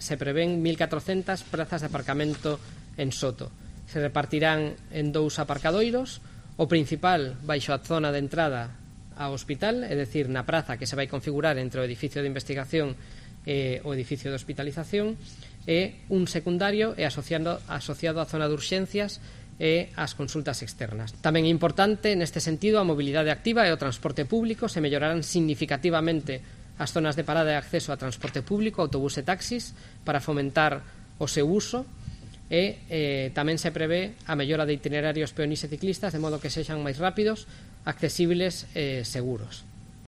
se prevén 1.400 prazas de aparcamento en Soto. Se repartirán en 2 aparcadoiros, o principal baixo a zona de entrada ao hospital, é dicir, na praza que se vai configurar entre o edificio de investigación e o edificio de hospitalización, e un secundario e asociado á zona de urxencias e ás consultas externas. Tamén é importante, neste sentido, a mobilidade activa e o transporte público. Se mellorarán significativamente as zonas de parada e acceso a transporte público, autobús e taxis, para fomentar o seu uso, e tamén se prevé a mellora de itinerarios peonís e ciclistas, de modo que sexan máis rápidos, accesibles e seguros.